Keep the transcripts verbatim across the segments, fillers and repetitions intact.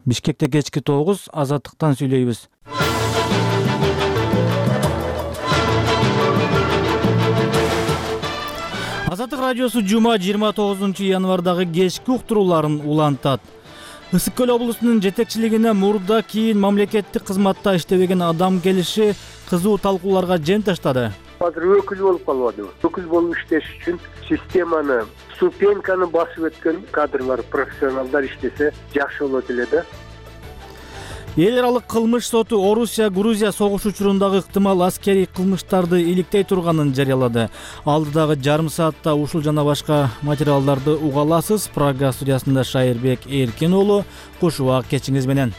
Бишкекте кечки тогуз, Азаттыктан сүйлөйбүз. Азаттык радиосу жума жыйырма тогузунчу январдагы кечки уктурууларын улантат. Ысык көл облусунун жетекчилигине мурда кийин мамлекеттик кызматта иштебеген адам келиши кызуу талкууларга жем таштады. Азыр өкүл болуп калбадыбы? Өкүл болуп иштеш үчүн системаны, ступеньканы басып өткөн кадрлар, профессионалдар иштесе жакшы болот эле да. Эл аралык кылмыш соту Орусия Грузия согуш учурундагы ыктымал аскерий кылмыштарды иликтей турганын жарыялады. Алдыдагы жарым саатта ушул жана башка материалдарды уга аласыз. Прага студиясында Шайырбек Эркин уулу, куш убак кечиңиз менен.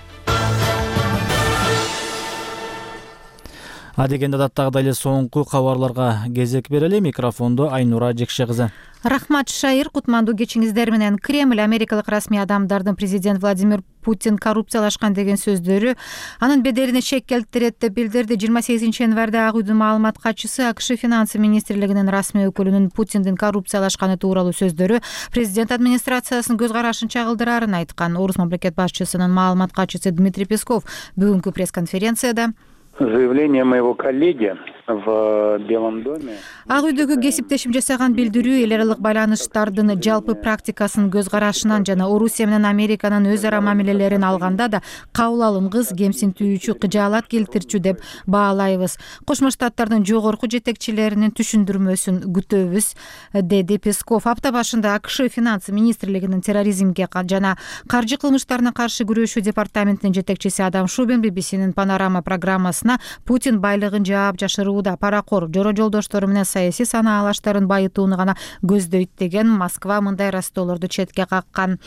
Адегенде адаттагыдай эле соңку кабарларга кезек берели. Микрофондо Айнура Жекше кызы. Рахмат, Шайыр. Кутмандуу кечиңиздер менен. Кремль америкалык расмий адамдардын президент Владимир Путин коррупциялашкан деген сөздөрү анын беделине шек келтирет деп билдирди. жыйырма сегизинчи январда Ак үйдүн маалымат катчысы АКШ финансы министрлигинин расмий өкүлүнүн Путиндин коррупциялашканы тууралуу сөздөрү президент администрациясынын көз карашын чагылдырарын айткан. Орус мамлекет башчысынын маалымат катчысы Дмитрий Песков бүгүнкү пресс-конференцияда Заявление моего коллеги в Белом доме. Ак үйдөгү кесиптешим жасаган билдирүү эл аралык байланыштардын жалпы практикасынын көз карашынан жана Орусия менен Американын өз ара мамилелерин алганда да кабыл алынгыс, кемсинтүүчү, кыжаалат келтирчү деп баалайбыз. Кошмо Штаттардын жогорку жетекчилеринин түшүндүрмөсүн күтөбүз, деди Песков. Апта башында АКШ финансы министрлигинин терроризмге жана каржы кылмыштарына каршы күрөшүү департаментинин жетекчиси Адам Шубин би би синин Панорама программасына Путин байлыгын жаап жашырууда, паракор, жоро жолдоштору менен саясий санаалаштарын байытууну гана көздөйт деген Москва мындай растоолорду четке каккан.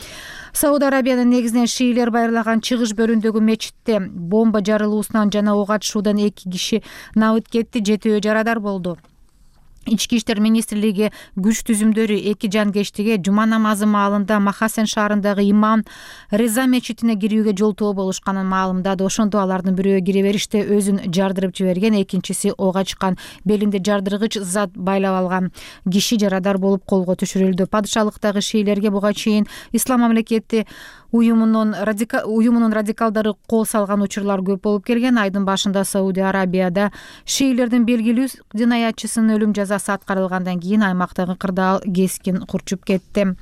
Сауд Арабиянын негизинен шиилер байырлаган чыгыш бөлүндөгү мечитте бомба жарылуусунан жана ок атышуудан эки киши набыт кетти, жетөө жарадар болду. Ички иштер министрлиги күч түзүмдөрү эки жанкештиге жума намазы маалында Махасен шаарындагы имам Реза мечитине кирүүгө жолтоо болушканын маалымдады. Ошондо алардын бирөө кире бериште өзүн жардырып жиберген, экинчиси ок ачкан. Белинде жардыргыч зат байлап алган киши жарадар болуп колго түшүрүлдү. Падышалыктагы шиилерге буга чейин Ислам мамлекети уюмунун радикал уюмунун радикалдары кол салган учурлар көп болуп келген. Айдын башында Сауди Арабияда шиилердин белгилүү жинаятчысынын өлүм жазасы аткарылгандан кийин аймактагы кырдаал кескин курчуп кетти.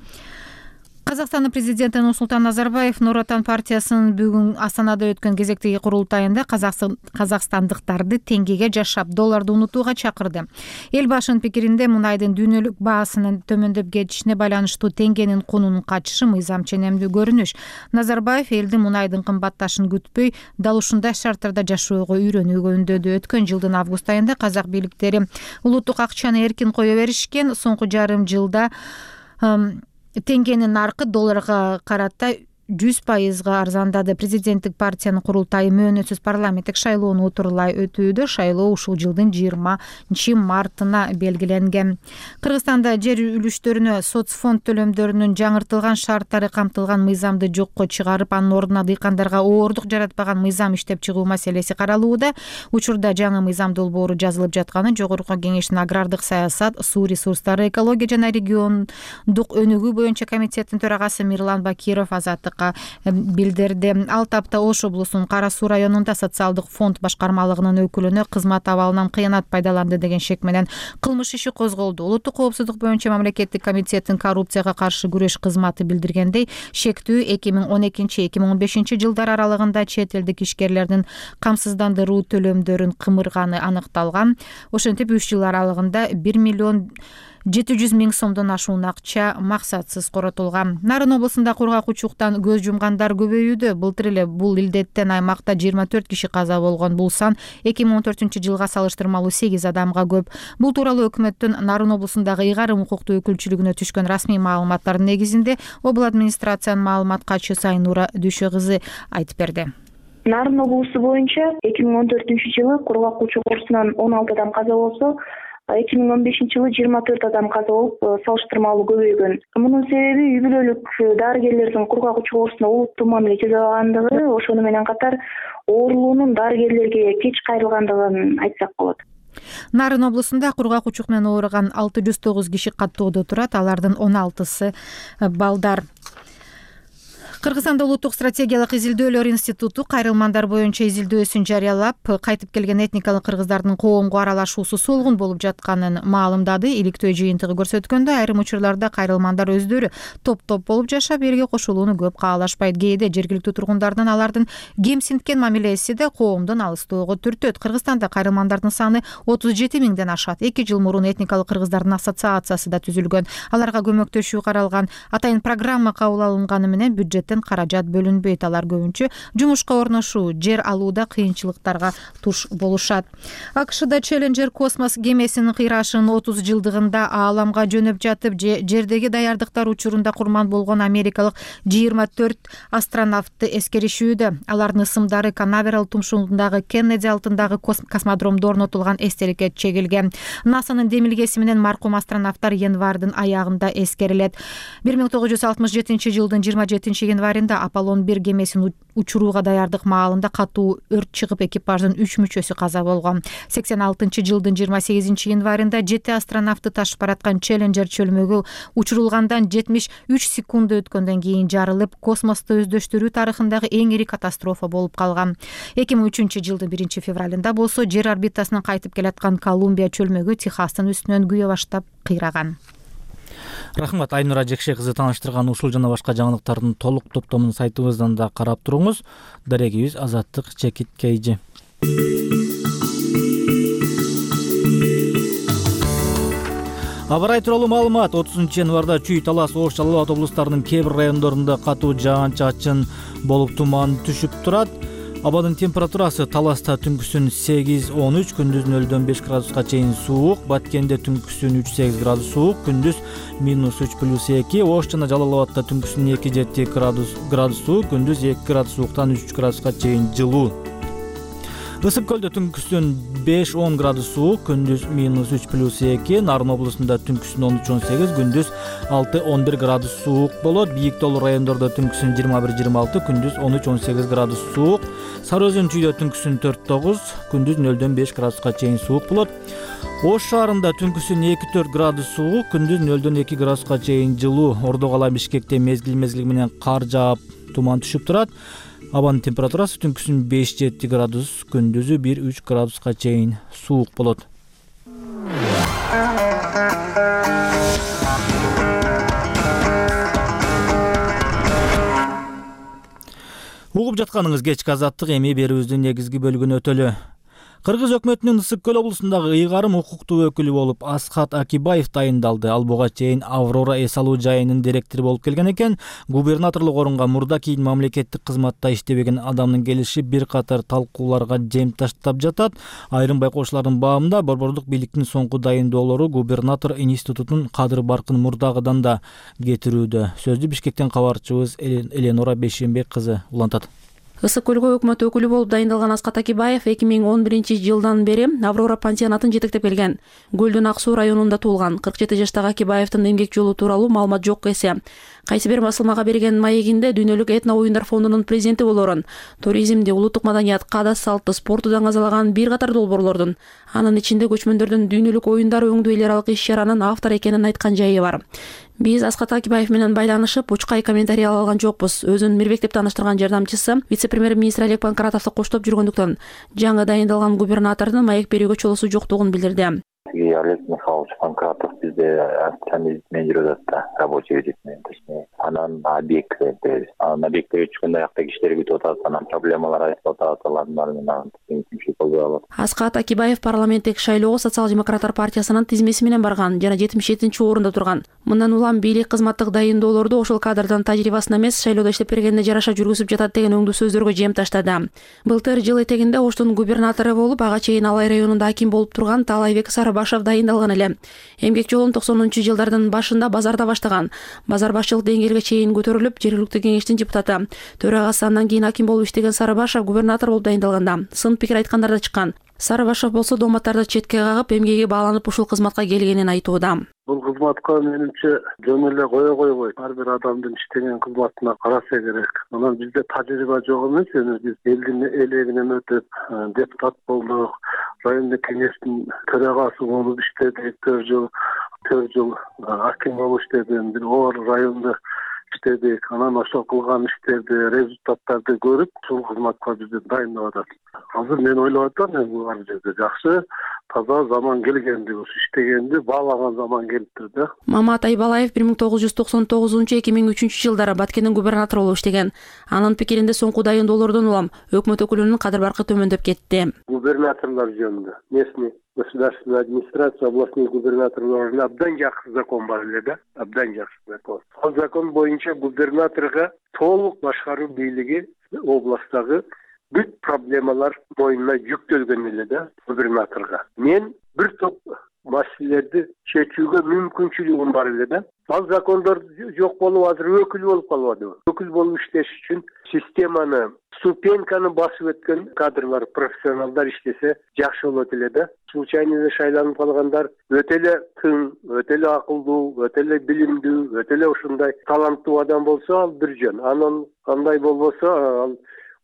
Казакстандын президенти Нурсултан Назарбаев Нур Отан партиясынын бүгүн Астанада өткөн кезектеги курултайында казакстандыктарды теңгеге жашап, долларды унутууга чакырды. Эл башынын пикиринде мунайдын дүйнөлүк баасынын төмөндөп кетишине байланыштуу теңгенин кунунун качышы мыйзам ченемдүү көрүнүш. Назарбаев элдин мунайдын кымбатташын күтпөй, дал ушундай шарттарда жашоого үйрөнүүгө үндөдү. Өткөн жылдын август айында казак бийликтери улуттук акчаны эркин кое беришкен. Соңку жарым жылда теңгенин наркы долларга карата жүз пайызга арзандады. Президенттик партиянын курултайы мөөнөтсүз парламенттик шайлоону утурлай өтүүдө. Шайлоо ушул жылдын жыйырманчы мартына белгиленген. Кыргызстанда жер үлүштөрүнө соцфонд төлөмдөрүнүн жаңыртылган шарттары камтылган мыйзамды жокко чыгарып, анын ордуна дыйкандарга оордук жаратпаган мыйзам иштеп чыгуу маселеси каралууда. Учурда жаңы мыйзам долбоору жазылып жатканын Жогорку Кеңештин агрардык саясат, суу ресурстары, экология жана региондук өнүгүү боюнча комитеттин төрагасы Мирлан Бакиров Азаттык билдирди. Ал тапта Ош облусунун Кара Суу районунда социалдык фонд башкармалыгынын өкүлүнө кызмат абалынан кыянат пайдаланды деген шек менен кылмыш иши козголду. Улуттук коопсуздук боюнча мамлекеттик комитеттин коррупцияга каршы күрөш кызматы билдиргендей, шектүү эки миң он экинчи — эки миң он бешинчи жылдар аралыгында чет элдик ишкерлердин камсыздандыруу төлөмдөрүн кымырганы аныкталган. Ошентип үч жыл аралыгында бир миллион жети жүз миң сомдон ашуун акча максатсыз коротулган. Нарын облусунда кургак учуктан көз жумгандар көбөйүүдө. Былтыр эле бул илдеттен аймакта жыйырма төрт киши каза болгон. Бул сан эки миң он төртүнчү жылга салыштырмалуу сегиз адамга көп. Бул тууралуу өкмөттүн Нарын облусундагы ыйгарым укуктуу өкүлчүлүгүнө түшкөн расмий маалыматтардын негизинде обл администрациянын маалымат катчысы Айнура Дүшө кызы айтып берди. Нарын облусу боюнча эки миң он төртүнчү жылы кургак учук оорусунан он алты адам каза болсо, эки миң он бешинчи жылы жыйырма төрт адам каза болуп, салыштырмалуу көбөйгөн. Мунун себеби үй бүлөлүк дарыгерлердин кургак учук оорусуна олуттуу мамиле жасабагандыгы, ошону менен катар оорулуунун дарыгерлерге кеч кайрылгандыгын айтсак болот. Нарын облусунда кургак учук менен ооруган алты жүз тогуз киши каттоодо турат. Алардын он алтысы балдар. Кыргызстанда улуттук стратегиялык изилдөөлөр институту кайрылмандар боюнча изилдөөсүн жарыялап, кайтып келген этникалык кыргыздардын коомго аралашуусу солгун болуп жатканын маалымдады. Иликтөө жыйынтыгы көрсөткөндө, айрым учурларда кайрылмандар өздөрү топ-топ болуп жашап, элге кошулууну көп каалашпайт. Кээде жергиликтүү тургундардын алардын кемсинткен мамилеси да коомдон алыстоого түртөт. Кыргызстанда кайрылмандардын саны отуз жети миңден ашат. эки жыл мурун этникалык кыргыздардын ассоциациясы да түзүлгөн. Аларга көмөктөшүү каралган. Атайын программа кабыл алынганы менен бюджет каражат бөлүнбөйт. Алар көбүнчө жумушка орношуу, жер алууда кыйынчылыктарга туш болушат. АКШда Челленджер космос кемесинин кыйрашынын отуз жылдыгында ааламга жөнөп жатып, жердеги даярдыктар учурунда курман болгон америкалык жыйырма төрт астронавтты эскеришүүдө. Алардын ысымдары Канаверал тумшугундагы Кеннеди алтындагы космодромдо орнотулган эстеликке чегилген. НАСАнын демилгеси менен маркум астронавттар январдын аягында эскерилет. бир миң тогуз жүз алтымыш жетинчи жылдын жыйырма жетинчи январында Аполлон бир кемесин учурууга даярдык маалында катуу өрт чыгып, экипаждын үч мүчөсү каза болгон. сексен алтынчы жылдын жыйырма сегизинчи январында жети астронавтты ташып бараткан Челленджер чөлмөгү учурулгандан жетимиш үч секунд өткөндөн кийин жарылып, космосту өздөштүрүү тарыхындагы эң ири катастрофа болуп калган. эки миң үчүнчү жылдын биринчи февралында болсо, жер орбитасынан кайтып келаткан Колумбия чөлмөгү Техастын үстүнөн күйө баштап кыйраган. Рахмат, Айнура Жекше кызы тааныштырган ушул жана башка жаңылыктардын толук топтомун сайтыбыздан да карап туруңуз. Дарегибиз Азаттык Чекиткейжи. Аба ырайы тууралуу маалымат. отузунчу январда Чүй, Талас, Ош, Жалал Абад облустарынын кээ бир райондорунда катуу жаан-чачын болуп туман түшүп турат. Абадын температурасы: Таласта түнкүсүн сегиз он үч, күндүз нөлдөн беш градуска чейин суук, Баткенде түнкүсүн үч сегиз градус суук, күндүз минус үч плюс эки, Ош жана Жалал Абадта түнкүсүн эки жети градус градус суук, күндүз эки градус сууктан үч градуска чейин жылуу. Ысык көлдө түнкүсүн беш он градус суук, күндүз минус үч плюс эки, Нарын облусунда түнкүсүн он үч он сегиз, күндүз алты он бир градус суук болот. Бийик тоолуу райондордо түнкүсүн жыйырма бир жыйырма алты, күндүз он үч он сегиз градус суук. Сары Өзөн Чүйдө түнкүсүн төрт тогуз, күндүз нөлдөн беш градуска чейин суук болот. Ош шаарында түнкүсүн эки төрт градус суук, күндүз нөлдөн эки градуска чейин жылуу. Ордо кала Бишкекте мезгил мезгил менен кар жаап, туман түшүп турат. Абанын температурасы түнкүсүн беш жети градус, күндүзү бир үч градуска чейин суук болот. Угуп жатканыңыз кечки Азаттык, эми берүүбүздүн негизги бөлүгүнө өтөлү. Кыргыз өкмөтүнүн Ысык көл облусундагы ыйгарым укуктуу өкүлү болуп Асхат Акибаев дайындалды. Ал буга чейин Аврора эс алуу жайынын директору болуп келген экен. Губернаторлук орунга мурда кийин мамлекеттик кызматта иштебеген адамдын келиши бир катар талкууларга жем таштап жатат. Айрым байкоочулардын баамында борбордук бийликтин соңку дайындоолору губернатор институтун кадыр баркын мурдагыдан да кетирүүдө. Сөздү Бишкектен кабарчыбыз Эленора Бейшенбек кызы улантат. Ысык көлгө өкмөт өкүлү болуп дайындалган Асхат Акибаев эки миң он биринчи жылдан бери Аврора пансионатын жетектеп келген. Көлдүн Ак Суу районунда туулган. кырк жети жаштагы Акибаевдин эмгек жолу тууралуу маалымат жок эсе. Кайсы бир басылмага берген маегинде дүйнөлүк этно оюндар фондунун президенти болорун, туризмди, улуттук маданият, каада салтты, спорту даңазалаган бир катар долбоорлордун, анын ичинде көчмөндөрдүн дүйнөлүк оюндар өңдүү эл аралык иш-чаранын автор экенин айткан жайы бар. Биз Асхат Акибаев менен байланышып, учкай комментарий ала алган жокпуз. Өзүн Мирбек деп тааныштырган жардамчысы вице-премьер-министр Олег Панкратовду коштоп жүргөндүктөн жаңы дайындалган губернатордун маек берүүгө чолосу жоктугун билдирди. Олег Михайлович Панкратов бизде официальный визит менеджер да, рабочий визит менен, точнее. Анан объекттерди, анан объекттерге түшкөндө аякта кишилер күтүп атат, анан проблемалар айтып атат, алардын баары менен кимчилик болбой калат. Асхат Акибаев парламенттик шайлоого социал-демократтар партиясынын тизмеси менен барган жана жетимиш жетинчи орунда турган. Мындан улам бийлик кызматтык дайындоолорду ошол кадрдын тажрыйбасына эмес, шайлоодо иштеп бергенине жараша жүргүзүп жатат деген өңдүү сөздөргө жем таштады. Былтыр жыл этегинде Оштун губернатору болуп, ага чейин Алай районунда аким болуп турган Таалайбек Сарыбашев дайындалган эле. Эмгек жолун токсонунчу жылдардын башында базарда баштаган. Базар башчылык деңгээлге чейин көтөрүлүп, жергиликтүү кеңештин депутаты, төрагасы, андан кийин аким болуп иштеген Сарыбашев губернатор болуп дайындалганда сын пикир айткандар да чыккан. Сарыбашев болсо дооматтарды четке кагып, эмгеги бааланып ушул кызматка келгенин айтууда. Бул кызматка менимче жөн эле кое койбойт. Ар бир адамдын иштеген кызматына караса керек. Анан бизде тажрыйба жок эмес, эми биз элдин элегинен өтүп депутат болдук, райондук кеңештин төрагасы болуп иштедик, төрт жыл төрт жыл аким болуп иштедим. Бир оор районду иштедик. Анан ошол кылган иштерди, результаттарды көрүп, ушул кызматка бизди дайындап атат. Азыр мен ойлоп атам, бул жерде жакшы, таза заман келгенди, ушу иштегенди баалаган заман келиптир да. Мамат Айбалаев бир миң тогуз жүз токсон тогузунчу эки миң үчүнчү жылдары Баткендин губернатору болуп иштеген. Анын пикиринде соңку дайындоолордон улам өкмөт өкүлүнүн кадыр баркы төмөндөп кетти. Губернаторлор жөнүндө местный государственная администрация, областной губернаторлорунун абдан жакшы закон бар эле да, абдан жакшы закон. Ал закон боюнча губернаторго толук башкаруу бийлиги областтагы бүт проблемалар мойнуна жүктөлгөн эле да губернаторго. Мен бир топ маселелерди чечүүгө мүмкүнчүлүгүм бар эле да. Ал закондор жок болуп азыр өкүл болуп калбадыбы? Өкүл болуп иштеш үчүн системаны, ступеньканы басып өткөн кадрлар, профессионалдар иштесе жакшы болот эле да. Случайно эле шайланып калгандар өтө эле тың, өтө эле акылдуу, өтө эле билимдүү, өтө эле ушундай таланттуу адам болсо ал бир жөн. Анан кандай болбосо ал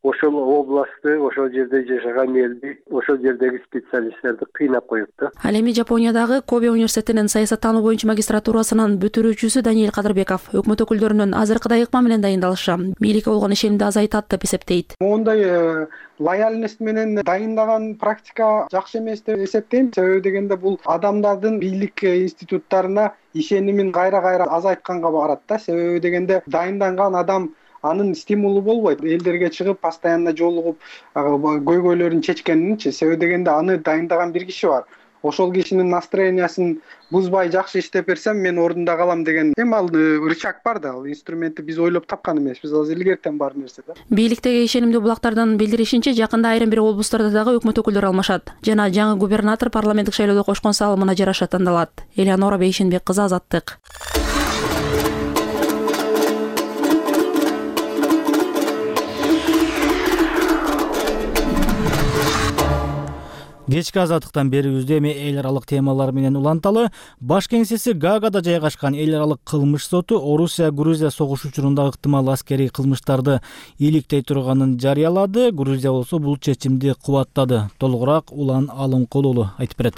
ошол областты, ошол жерде жашаган элди, ошол жердеги специалисттерди кыйнап коет да. Ал эми Жапониядагы Кобе университетинин саясаттануу боюнча магистратурасынын бүтүрүүчүсү Даниэль Кадырбеков өкмөт өкүлдөрүнүн азыркыдай ыкма менен дайындалышы бийликке болгон ишенимди азайтат деп эсептейт. Мондай лояльность менен дайындаган практика жакшы эмес деп эсептейм. Себеби дегенде бул адамдардын бийлик институттарына ишенимин кайра-кайра азайтканга барат да. Себеби дегенде дайынданган адам анын стимулу болбойт. Элдерге чыгып, постоянно жолугуп, көйгөйлөрүн чечкенинчи. Себеби дегенде аны дайындаган бир киши бар. Ошол кишинин настроениясын бузбай жакшы иштеп берсем, мен ордунда калам деген. Эми ал рычаг бар да, ал инструментти биз ойлоп тапкан эмеспиз, ал илгертен бар нерсе да. Бийликтеги ишенимдүү булактардан билдиришинче, жакында айрым бир облустарда дагы өкмөт өкүлдөрү алмашат жана жаңы губернатор парламенттик шайлоодо кошкон салымына жараша тандалат. Элеонора Бейшенбек кызы, Азаттык. Кечки Азаттыктан берүүбүздө эми эл аралык темалар менен уланталы. Баш кеңсеси Гаагада жайгашкан эл аралык кылмыш соту Орусия Грузия согуш учурунда ыктымал аскерий кылмыштарды иликтей турганын жарыялады. Грузия болсо бул чечимди кубаттады. Толугураак Улан Алымкулулу айтып берет.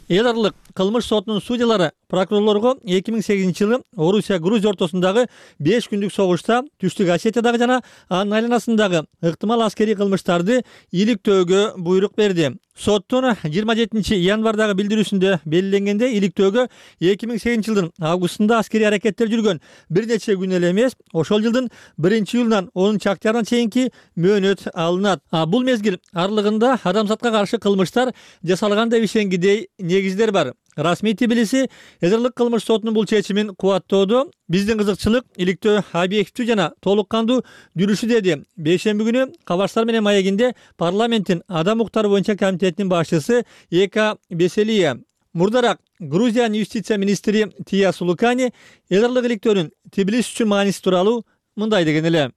Эл аралык кылмыш сотунун судьялары прокурорлорго эки миң сегизинчи жылы Орусия Грузия ортосундагы беш күндүк согушта Түштүк Осетиядагы жана анын айланасындагы ыктымал аскерий кылмыштарды иликтөөгө буйрук берди. Соттун жыйырма жетинчи январдагы билдирүүсүндө белгиленгенде, иликтөөгө эки миң сегизинчи жылдын августунда аскерий аракеттер жүргөн бир нече күн эле эмес, ошол жылдын биринчи июлунан онунчу октябрына чейинки мөөнөт алынат. А бул мезгил аралыгында адамзатка каршы кылмыштар жасалган деп ишенгидей негиздер бар. Расмий Тбилиси эл аралык кылмыш сотунун бул чечимин кубаттоодо биздин кызыкчылык иликтөө объективдүү жана толук кандуу жүрүшү, деди бейшемби күнү Кабарштар менен маегинде парламенттин адам укуктары боюнча комитетинин башчысы Ека Беселия. Мурдараак Грузиянын юстиция министри Тия Сулукани эл аралык иликтөөнүн Тбилиси үчүн мааниси тууралуу мындай деген эле.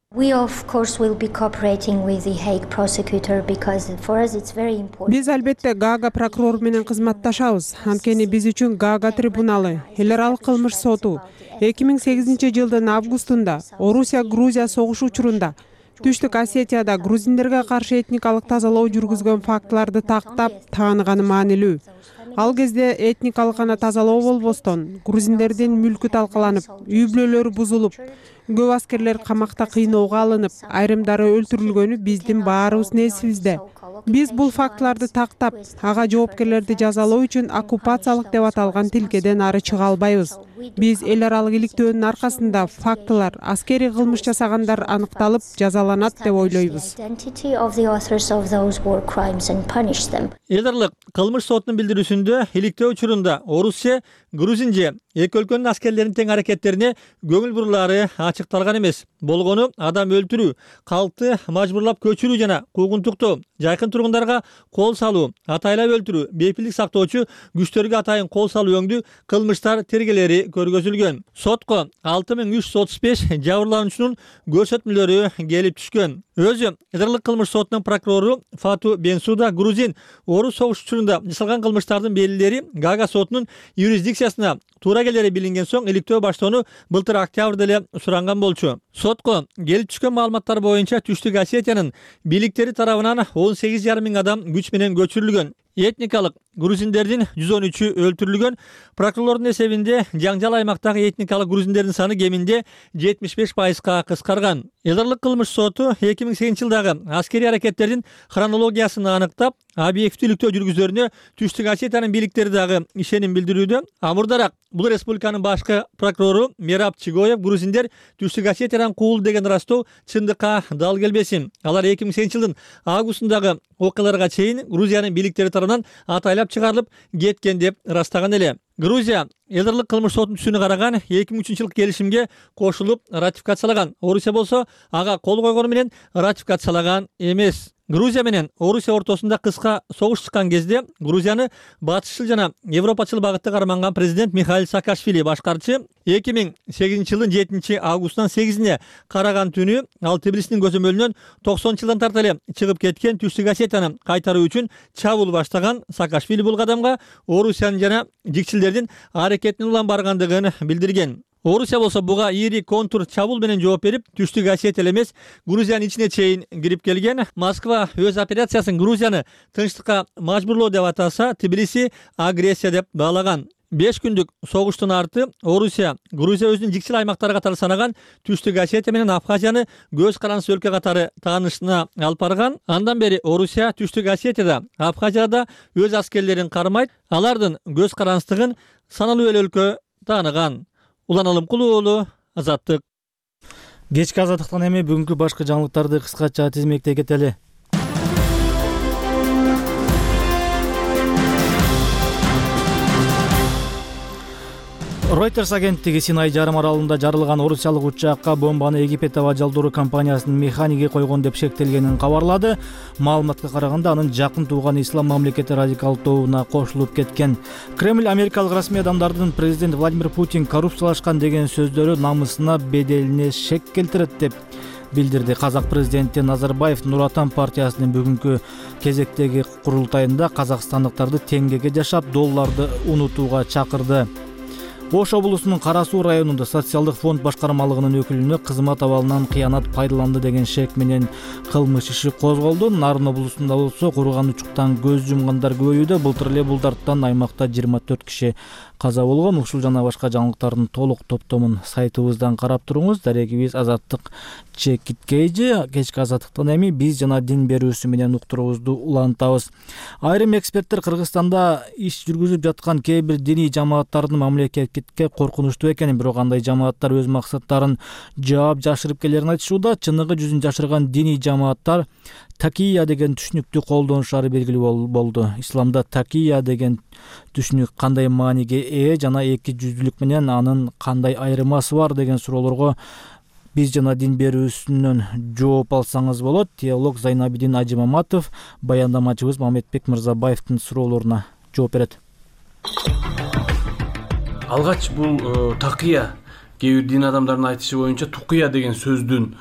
Биз албетте Гаага прокурор менен кызматташабыз. Анткени биз үчүн Гаага трибуналы, эл аралык кылмыш соту эки миң сегизинчи жылдын августунда Орусия Грузия согуш учурунда Түштүк Осетияда грузиндерге каршы этникалык тазалоо жүргүзгөн фактыларды тактап тааныганы маанилүү. Ал кезде этникалык гана тазалоо болбостон, грузиндердин мүлкү талкаланып, үй бүлөлөрү бузулуп, көп аскерлер камакта кыйноого алынып, айрымдары өлтүрүлгөнү биздин баарыбыздын эсибизде. Биз бул фактыларды тактап, ага жоопкерлерди жазалоо үчүн оккупациялык деп аталган тилкеден ары чыга албайбыз. Биз эл аралык иликтөөнүн аркасында фактылар, аскерий кылмыш жасагандар аныкталып, жазаланат деп ойлойбуз. Эл аралык кылмыш сотунун билдирүүсүндө иликтөө учурунда Орусия, Грузия эки өлкөнүн аскерлеринин тең аракеттерине көңүл бурулаары ачыкталган эмес. Болгону адам өлтүрүү, калкты мажбурлап көчүрүү жана куугунтуктоо, жайкын тургундарга кол салуу, атайлап өлтүрүү, бейпилдик сактоочу күчтөргө атайын кол салуу өңдүү кылмыштар тергелери көргөзүлгөн. Сотко алты миң үч жүз отуз беш жабырлануучунун көрсөтмөлөрү келип түшкөн. Өзү эл аралык кылмыш сотунун прокурору Фату Бенсуда грузин Орус согуш учурунда жасалган кылмыштардын белгилери Гаага сотунун юрисдикциясына туура келери билинген соң иликтөө баштоону былтыр октябрда эле суранган болчу. Сотко келип түшкөн маалыматтар боюнча Түштүк Осетиянын бийликтери тарабынан он сегиз жарым миң адам күч менен көчүрүлгөн. этникалык грузиндердин жүз он үчү өлтүрүлгөн. Прокурорлордун эсебинде жаңжал аймактагы этникалык грузиндердин саны кеминде жетимиш беш пайызга кыскарган. Эл аралык кылмыш соту эки миң сегизинчи жылдагы аскерий аракеттердин хронологиясын аныктап, объективдүүлүктө жүргүзөрүнө Түштүк Осетиянын бийликтери дагы ишеним билдирүүдө. Амурдараак бул республиканын башкы прокурору Мераб Чигоев грузиндер Түштүк Осетиядан куулду деген ырастоо чындыкка дал келбесин. Алар эки миң сегизинчи жылдын августундагы окуяларга чейин Грузиянын бийликтери тарабынан атайлап чыгарылып кеткен деп ырастаган эле. Грузия эл аралык кылмыш сотунун түсүнө караган эки миң үчүнчү жылкы келишимге кошулуп ратификациялаган. Орусия болсо ага кол койгону менен ратификациялаган эмес. Грузия менен Орусия ортосунда кыска согуш чыккан кезде Грузияны батышчыл жана европачыл багытта карманган президент Михаил Саакашвили башкарчы эки миң сегизинчи жылдын жетинчи августунан сегизине караган түнү ал Тбилисинин көзөмөлүнөн токсонунчу жылдан тарта эле чыгып кеткен Түштүк Осетияны кайтаруу үчүн чабуул баштаган. Саакашвили бул кадамга Орусиянын жана жикчилдердин аракетинин улам баргандыгын билдирген. Орусия болсо буга ири контур чабуул менен жооп берип, Түштүк Осетия эле эмес, Грузиянын ичине чейин кирип келген. Москва өз операциясын Грузияны тынчтыкка мажбурлоо деп атаса, Тбилиси агрессия деп баалаган. беш күндүк согуштун арты Орусия Грузия өзүнүн жикчил аймактары катары санаган Түштүк Осетия менен Абхазияны көз карандысыз өлкө катары таанышына алып барган. Андан бери Орусия Түштүк Осетияда, Абхазияда өз аскерлерин кармайт, алардын көз карандысыздыгын саналуу эле өлкө тааныган. Улан Алымкулуу уулу, Азаттык. Кечки Азаттыктан эми бүгүнкү башкы жаңылыктарды кыскача тизмектей кетели. Reuters агенттиги Синай жарым аралында жарылган орусиялык учакка бомбаны Египет аба жалдыруу компаниясынын механиги койгон деп шектелгенин кабарлады. Маалыматка караганда анын жакын тууган ислам мамлекети радикал тобуна кошулуп кеткен. Кремль америкалык расмий адамдардын президент Владимир Путин коррупциялашкан деген сөздөрү намысына, беделине шек келтирет деп билдирди. Казак президенти Назарбаев Нур Отан партиясынын бүгүнкү кезектеги курултайында казакстандыктарды теңгеге жашап, долларды унутууга чакырды. Ош облусунун Кара Суу районунда социалдык фонд башкармалыгынын өкүлүнө кызмат абалынан кыянат пайдаланды деген шек менен кылмыш иши козголду. Нарын облусунда болсо курган учуктан көз жумгандар көбөйүүдө. Былтыр эле бул дарттан аймакта жыйырма төрт киши каза болгон. Ушул жана башка жаңылыктардын толук топтомун сайтыбыздан карап туруңуз. Дарегибиз Азаттык Чекиткейжи. Кечки Азаттыктан эми биз жана дин берүүсү менен уктуруубузду улантабыз. Айрым эксперттер Кыргызстанда иш жүргүзүп жаткан кээ бир диний жамааттардын мамлекетке коркунучтуу экенин, бирок андай жамааттар өз максаттарын жаап жашырып келерин айтышууда. Чыныгы жүзүн жашырган диний жамааттар такия деген түшүнүктү колдонушары белгилүү болду. Исламда такия деген түшүнүк кандай мааниге ээ жана эки жүздүүлүк менен анын кандай айырмасы бар деген суроолорго биз жана дин берүүсүнөн жооп алсаңыз болот. Теолог Зайнабидин Ажимаматов баяндамачыбыз Мамедбек Мырзабаевдин суроолоруна жооп берет. Алгач бул такия кээ бир дин адамдарынын айтышы боюнча тукия деген сөздүн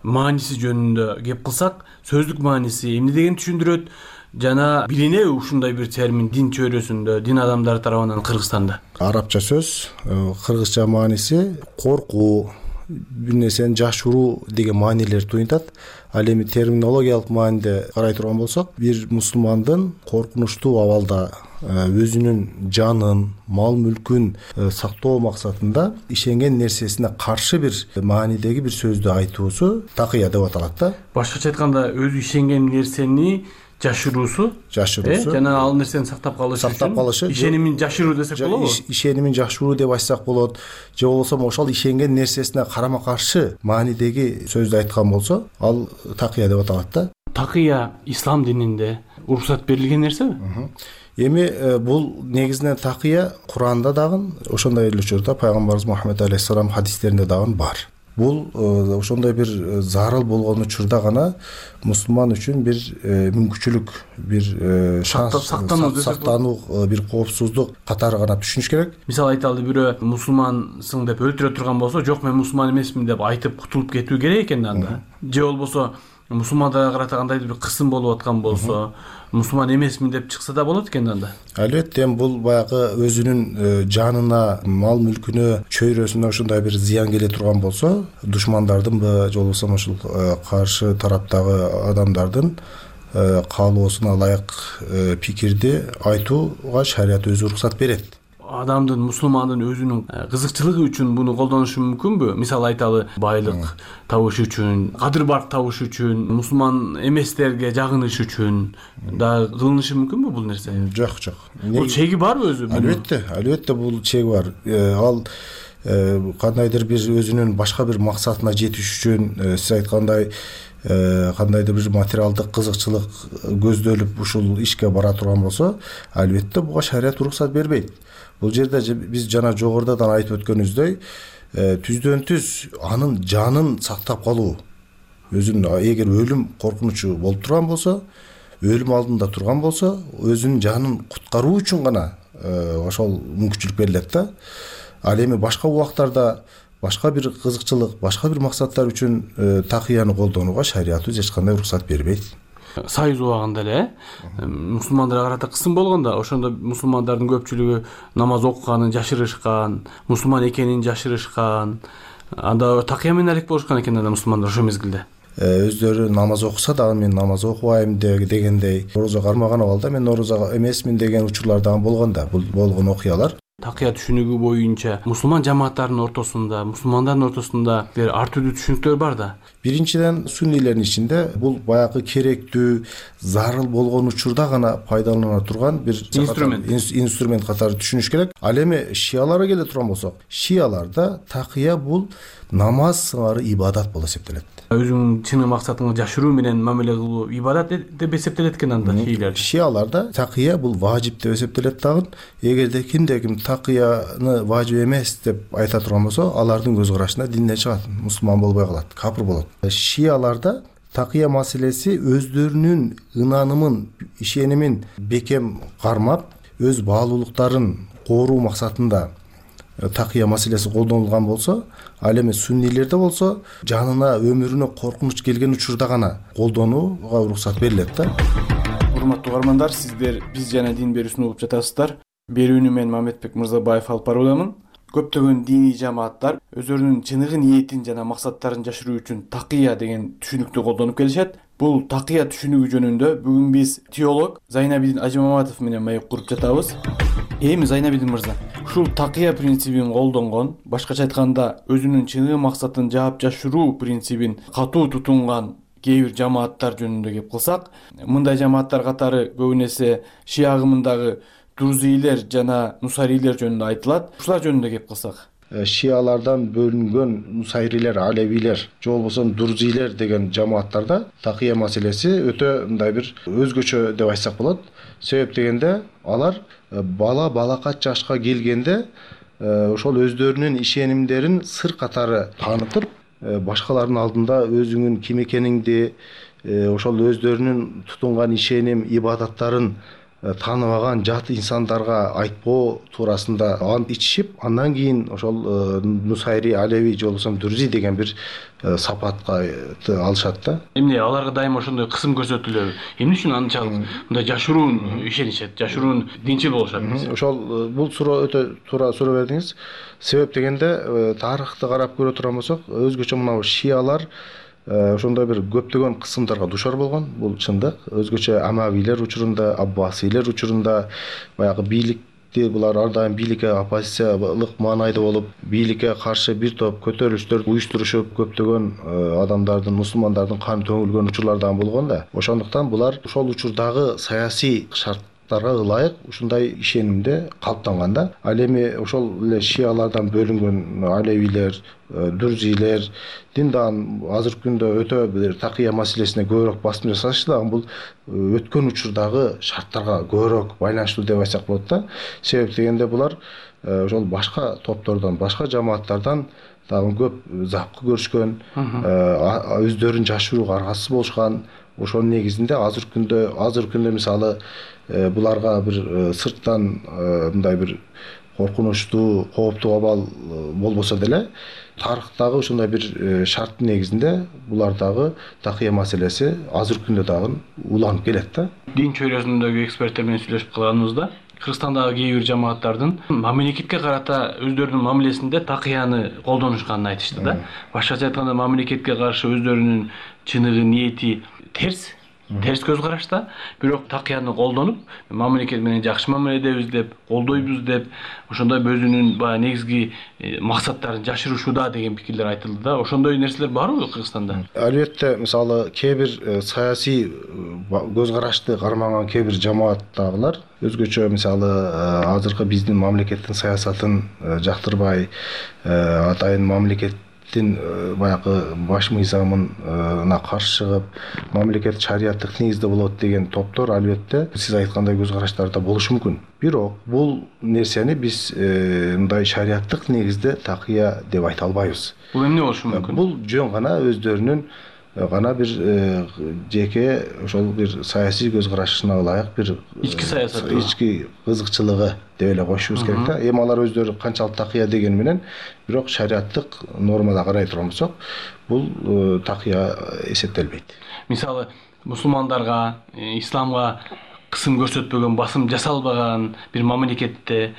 мааниси жөнүндө кеп кылсак, сөздүк мааниси эмне дегенди түшүндүрөт жана билинеби ушундай бир термин дин чөйрөсүндө, дин адамдары тарабынан Кыргызстанда? Арабча сөз, кыргызча мааниси коркуу, бир нерсени жашыруу деген маанилер туюнтат. Ал эми терминологиялык мааниде карай турган болсок, бир мусулмандын коркунучтуу абалда өзүнүн жанын, мал мүлкүн сактоо максатында ишенген нерсесине каршы бир маанидеги бир сөздү айтуусу такия деп аталат да. Башкача айтканда, өзү ишенген нерсени жашыруусу, жашыруусу жана ал нерсени сактап калыш сактап калышы, ишенимин жашыруу десек болобу? Ишенимин жашыруу деп айтсак болот. Же болбосо ошол ишенген нерсесине карама каршы маанидеги сөздү айткан болсо, ал такия деп аталат да. Такия ислам дининде уруксат берилген нерсеби? Эми бул негизинен такия Куранда дагы, ошондой эле учурда пайгамбарыбыз Мухаммед алейхиссалам хадистеринде дагы бар. Бул ошондой бир зарыл болгон учурда гана мусулман үчүн бир мүмкүнчүлүк, бир шанс, сактануу, бир коопсуздук катары гана түшүнүш керек. Мисалы айталы, бирөө мусулмансың деп өлтүрө турган болсо, жок мен мусулман эмесмин деп айтып кутулуп кетүү керек экен анда. Же болбосо мусулмандарга карата кандайдыр бир кысым болуп аткан болсо, мусулман эмесмин деп чыкса да болот экен анда. Албетте, бул баягы өзүнүн жанына, мал мүлкүнө, чөйрөсүнө ошондой бир зыян келе турган болсо, душмандардынбы, же болбосо ошол каршы тараптагы адамдардын каалоосуна ылайык пикирди айтууга шарият өзү уруксат берет. Адамдын, мусулмандын өзүнүн кызыкчылыгы үчүн буну колдонушу мүмкүнбү? Мисалы айталы, байлык табыш үчүн, кадыр барк табыш үчүн, мусулман эместерге жагыныш үчүн да кылынышы мүмкүнбү бул нерсе? Жок, жок. Бул чеги барбы өзү? Албетте, албетте бул чеги бар. Ал кандайдыр бир өзүнүн башка бир максатына жетиш үчүн, сиз айткандай кандайдыр бир материалдык кызыкчылык көздөлүп ушул ишке бара турган болсо, албетте буга шарият уруксат бербейт. Бул жерде биз жана жогорудон айтып өткөнүбүздөй, түздөн түз анын жанын сактап калуу, өзүнүн эгер өлүм коркунучу болуп турган болсо, өлүм алдында турган болсо, өзүнүн жанын куткаруу үчүн гана ошол мүмкүнчүлүк берилет да. Ал эми башка убактарда башка бир кызыкчылык, башка бир максаттар үчүн такыяны колдонууга шариятыбыз эч кандай уруксат бербейт. Союз убагында эле мусулмандарга карата кысым болгондо, ошондо мусулмандардын көпчүлүгү намаз окуганын жашырышкан, мусулман экенин жашырышкан. Анда такыя менен алек болушкан экен анда мусулмандар ошол мезгилде. Өздөрү намаз окуса дагы мен намаз окубайм дегендей, орозо кармаган абалда мен орозо эмесмин деген учурлар дагы болгон да. Бул болгон окуялар. Такыя түшүнүгү боюнча мусулман жамааттарынын ортосунда, мусулмандардын ортосунда бир ар түрдүү түшүнүктөр бар да. Биринчиден, суннийлердин ичинде бул баягы керектүү, зарыл болгон учурда гана пайдалана турган бир инструмент инструмент катары түшүнүш керек. Ал эми шияларга келе турган болсок, шияларда такыя бул намаз сыңары ибадат болуп эсептелет. Өзүңүн чын максатыңды жашыруу менен мамиле кылуу ибадат деп эсептелет экен анда шиялар. Шияларда такыя бул важип деп эсептелет дагы. Эгерде кимде ким такыяны важип эмес деп айта турган болсо, алардын көз карашында динден чыгат, мусулман болбой калат, капыр болот. Шияларда такыя маселеси өздөрүнүн ынанымын, ишенимин бекем кармап, өз баалуулуктарын кооруу максатында такыя маселеси колдонулган болсо, ал эми суннийлерде болсо, жанына, өмүрүнө коркунуч келген учурда гана колдонууга уруксат берилет да. Урматтуу угармандар, сиздер биз жана дин берүүсүн угуп жатасыздар. Берүүнү мен Мамедбек Мырзабаев алып баруудамын. Көптөгөн диний жамааттар өзөрүнүн чыныгы ниетин жана максаттарын жашыруу үчүн такыя деген түшүнүктү колдонуп келишет. Бул такыя түшүнүгү жөнүндө бүгүн биз теолог Зайнабидин Ажимаматов менен маек куруп жатабыз. Эми Зайнабидин мырза, ушул такыя принцибин колдонгон, башкача айтканда өзүнүн чыныгы максатын жаап жашыруу принцибин катуу тутунган кээ бир жамааттар жөнүндө кеп кылсак, мындай жамааттар катары көбүнесе шия агымындагы Друзилер жана Нусайрилер жөнүндө айтылат. Ушулар жөнүндө кеп кылсак. Шиялардан бөлүнгөн Нусайрилер, Алевилер, же болбосо Друзилер деген жамааттарда такыя маселеси өтө мындай бир өзгөчө деп айтсак болот. Себеп дегенде алар бала балакат жашка келгенде ошол өздөрүнүн ишенимдерин сыр катары таанытып, башкалардын алдында өзүңүн ким экениңди, ошол өздөрүнүн тутунган ишеним, ибадаттарын тааныбаган жат инсандарга айтпоо туурасында ант ичишип, андан кийин ошол Нусайри, Алеви же болбосо Друзи деген бир сапатка алышат да. Эмне аларга дайыма ошондой кысым көрсөтүлөбү? Эмне үчүн анчалык мындай жашыруун ишенишет, жашыруун динчил болушат? Ошол бул суроо өтө туура суроо бердиңиз. Себеп дегенде тарыхты карап көрө турган болсок, өзгөчө мына шиялар ошондой бир көптөгөн кысымдарга душар болгон. Бул чындык. Өзгөчө Амавилер учурунда, Аббасилер учурунда баягы бийликти булар ар дайым бийликке оппозициялык маанайда болуп, бийликке каршы бир топ көтөрүлүштөр уюштурушуп, көптөгөн адамдардын, мусулмандардын каны төгүлгөн учурлар дагы болгон да. Ошондуктан булар ошол учурдагы саясий шарт ылайык ушундай ишенимде калыптанган да. Ал эми ошол эле шиялардан бөлүнгөн Алевилер, Друзилер диндан азыркы күндө өтө бир такыя маселесине көбүрөөк басым жасашы дагы бул өткөн учурдагы шарттарга көбүрөөк байланыштуу деп айтсак болот да. Себеп дегенде булар ошол башка топтордон, башка жамааттардан дагы көп запкы көрүшкөн, өздөрүн жашырууга аргасыз болушкан. Ошонун негизинде азыркы күндө, азыркы күндө мисалы буларга бир сырттан мындай бир коркунучтуу, кооптуу абал болбосо деле, тарыхтагы ушундай бир шарттын негизинде булардагы такыя маселеси азыркы күндө дагы уланып келет да. Дин чөйрөсүндөгү эксперттер менен сүйлөшүп калганыбызда, Кыргызстандагы кээ бир жамааттардын мамлекетке карата өздөрүнүн мамилесинде такыяны колдонушканын айтышты да. Башкача айтканда, мамлекетке каршы өздөрүнүн чыныгы ниети терс терс көз карашта, бирок такыяны колдонуп, мамлекет менен жакшы мамиледебиз деп, колдойбуз деп, ошондой өзүнүн баягы негизги максаттарын жашырышууда деген пикирлер айтылды да. Ошондой нерселер барбы Кыргызстанда? Албетте, мисалы кээ бир саясий көз карашты кармаган кээ бир жамааттагылар өзгөчө мисалы азыркы биздин мамлекеттин саясатын жактырбай, атайын мамлекеттин баягы баш мыйзамына каршы чыгып, мамлекет шариаттык негизде болот деген топтор албетте сиз айткандай көз караштарда болушу мүмкүн. Бирок бул нерсени биз мындай шариаттык негизде такыя деп айта албайбыз. Бул эмне болушу мүмкүн? Бул жөн гана өздөрүнүн гана бир жеке ошол бир саясий көз карашына ылайык бир ички саясат, ички кызыкчылыгы деп эле коюшубуз керек да. Эми алар өздөрү канчалык такыя дегени менен, бирок шариаттык нормада карай турган болсок, бул такыя эсептелбейт. Мисалы, мусулмандарга, исламга кысым көрсөтпөгөн, басым жасалбаган бир мамлекетте,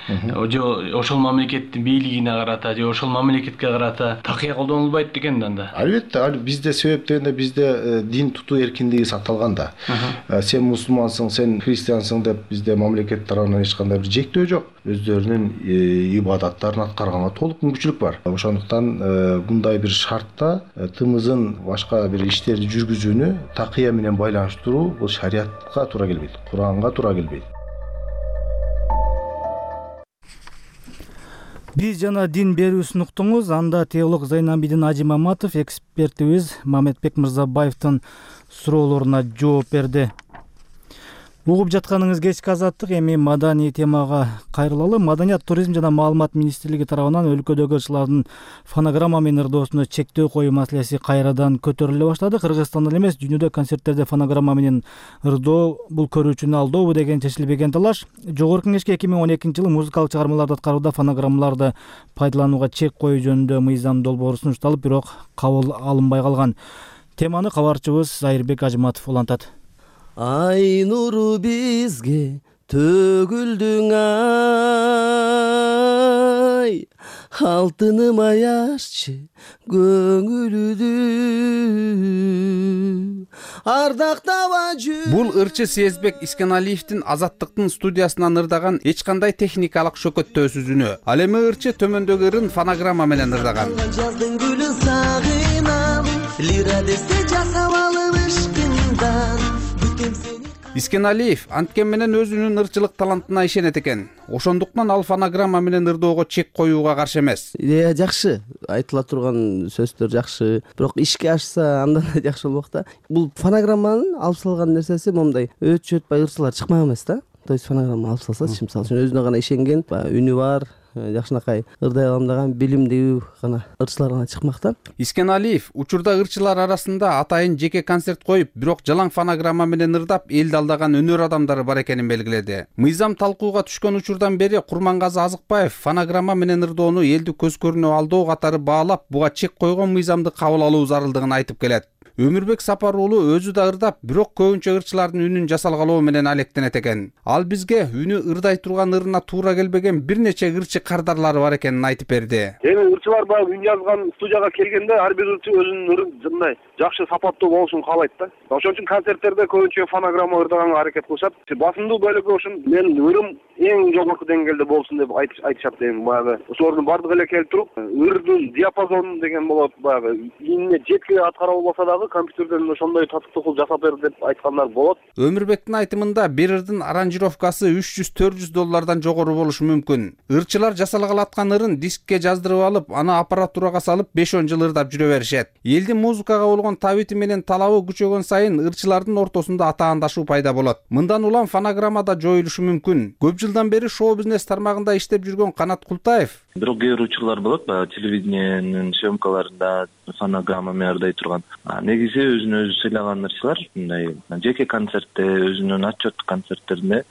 же ошол мамлекеттин бийлигине карата, же ошол мамлекетке карата такыя колдонулбайт экен да. Албетте, бизде себеп дегенде бизде дин тутуу эркиндиги сакталган да. Сен мусулмансың, сен христиансың деп бизде мамлекет тарабынан эч кандай бир жектөө жок. Өздөрүнүн ибадаттарын аткарганга толук мүмкүнчүлүк бар. Ошондуктан мындай бир шартта тымызын башка бир иштерди жүргүзүүнү такыя менен байланыштыруу бул шариатка туура келбейт. Куранга туура келбейт. Биз жана дин берүүсүн уктуңуз. Анда теолог Зайнабидин Ажи Маматов экспертибиз Мамедбек Мырзабаевдин суроолоруна жооп берди. Угуп жатканыңыз кечки азаттык. Эми маданий темага кайрылалы. Маданият, туризм жана маалымат министрлиги тарабынан өлкөдөгү ырчылардын фонограмма менен ырдоосуна чектөө коюу маселеси кайрадан көтөрүлө баштады. Кыргызстанда эле эмес, дүйнөдө концерттерде фонограмма менен ырдоо бул көрүүчүнү алдаобу деген чечилбеген талаш. Жогорку Кеңешке эки миң он экинчи жылы музыкалык чыгармаларды аткарууда фонограммаларды пайдаланууга чек коюу жөнүндө мыйзам долбоору сунушталып, бирок кабыл алынбай калган. Теманы кабарчыбыз Айырбек Ажыматов улантат. Ай нуру бизге төгүлдүң ай, алтыным аяшчы көңүлүдү ардактаба жүр. Бул ырчы Сезбек Искеналиевдин Азаттыктын студиясынан ырдаган эч кандай техникалык шөкөттөөсүз үнү. Ал эми ырчы төмөндөгү ырын фонограмма менен ырдаган. Жаздын гүлүн сагынам, лира десе жасап алып ишкиндан. Искеналиев анткен менен өзүнүн ырчылык талантына ишенет экен. Ошондуктан ал фонограмма менен ырдоого чек коюуга каршы эмес. Идея жакшы, айтыла турган сөздөр жакшы, бирок ишке ашса андан да жакшы болмок да. Бул фонограмманын алып салган нерсеси момундай өт чөтпай ырчылар чыкмак эмес да. То есть фонограмма алып салсачы, мисалы үчүн өзүнө гана ишенген, үнү бар, жакшынакай ырдай алам деген билимдүү гана ырчылар гана чыкмак да. Искеналиев учурда ырчылар арасында атайын жеке концерт коюп, бирок жалаң фонограмма менен ырдап элди алдаган өнөр адамдары бар экенин белгиледи. Мыйзам талкууга түшкөн учурдан бери Курмангазы Азыкбаев фонограмма менен ырдоону элди көз көрүнө алдоо катары баалап, буга чек койгон мыйзамды кабыл алуу зарылдыгын айтып келет. Өмүрбек Сапар уулу өзү да ырдап, бирок көбүнчө ырчылардын үнүн жасалгалоо менен алектенет экен. Ал бизге үнү ырдай турган ырына туура келбеген бир нече ырчы кардарлары бар экенин айтып берди. Эми ырчылар баягы үн жазган студияга келгенде ар бир ырчы өзүнүн ырын мындай жакшы сапаттуу болушун каалайт да. Ошон үчүн концерттерде көбүнчө фонограмма ырдаганга аракет кылышат. Басымдуу бөлүгү ушун менин ырым эң жогорку деңгээлде болсун деп айтышат. Эми баягы ошолордун бардыгы эле келип туруп, ырдын диапазону деген болот, баягы ийине жеткиле аткара албаса дагы компьютерден ошондой татыктуу кылып жасап бер деп айткандар болот. Өмүрбектин айтымында бир ырдын аранжировкасы үч жүз төрт жүз доллардан жогору болушу мүмкүн. Ырчылар жасалгалы аткан ырын дискке жаздырып алып, аны аппаратурага салып беш он жыл ырдап жүрө беришет. Элдин музыкага болгон табити менен талабы күчөгөн сайын ырчылардын ортосунда атаандашуу пайда болот. Мындан улам фонограмма да жоюлушу мүмкүн. Көп жылдан бери шоу-бизнес тармагында иштеп жүргөн Канат Култаев: бирок кээ бир учурлар болот, баягы телевидениенин съемкаларында фонограмма менен ырдай турган. Негизи өзүн өзү сыйлаган ырчылар мындай жеке концертте, өзүнүн отчеттик концерттеринде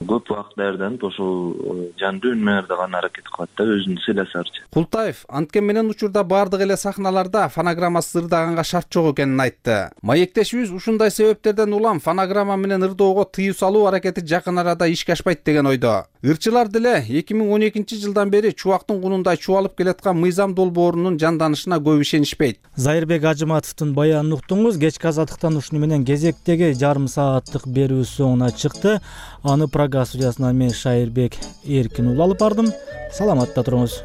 көп убакыт даярданып ошол жандуу үн менен ырдаганга аракет кылат да, өзүн сыйласарчы. Култаев анткен менен учурда бардык эле сахналарда фонограммасыз ырдаганга шарт жок экенин айтты. Маектешибиз ушундай себептерден улам фонограмма менен ырдоого тыюу салуу аракети жакын арада ишке ашпайт деген ойдо. ойдо. Ырчылар деле эки миң он экинчи жылдан бери чубактын кунундай чубалып келаткан мыйзам долбоорунун жанданышына көп ишенишпейт. Зайырбек Ажыматовдун баянын уктуңуз. Кечки азаттыктан ушуну менен кезектеги жарым сааттык берүү соңуна чыкты. Аны Прага студиясынан мен Шайырбек Эркин уулу алып бардым. Саламатта туруңуз.